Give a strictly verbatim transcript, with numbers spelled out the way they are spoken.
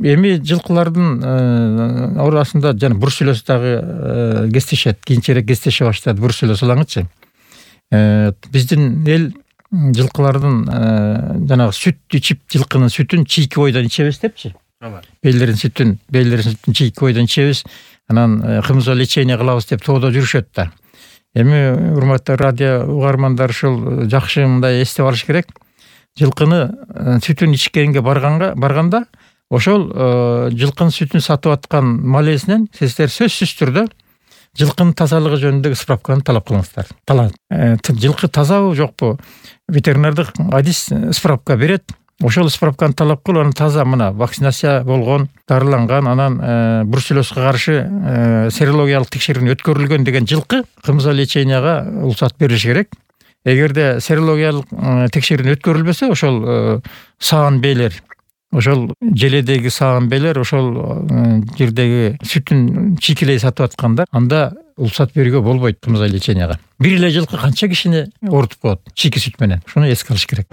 эми жылкылардын арасында жана бруцеллез дагы кездешет, кийинчерээк кездеше баштады бруцеллез. Биздин эл жылкылардын жанагы сүт ичип, жылкынын сүтүн чийки бойдон ичебиз депчи. Бейлерин сүтүн, бейлерин сүтүн чийки бойдон ичебиз, анан кымызга лечение кылабыз деп тоодо жүрүшөт да. Эми урматтуу радио угармандар ушул жакшы мындай эстеп алыш керек. Жылкыны сүтүн ичкенге барганга барганда ошол жылкынын сүтүн сатып аткан малесинен сиздер сөзсүз түрдө жылкынын тазалыгы жөнүндөгү справканы талап кылыңыздар. Талап. Жылкы тазабы жокпу? Ветеринардык адис справка берет. Ошол справканы талап кылып, аны таза мына вакцинация болгон, дарыланган, анан бруцеллезге каршы серологиялык текшерүүнү өткөрүлгөн деген жылкы кымызга леченияга уруксат берилиш керек. Эгерде серологиялык текшерүүнү өткөрүлбөсө, ошол саан бейлер, ошол желедеги саан бейлер, ошол жердеги сүтүн чийкилей сатып аткандар, анда уруксат берүүгө болбойт кымызга леченияга. Бир эле жылкы канча кишини оорутуп коет чийки сүт менен. Шуну эске алыш керек.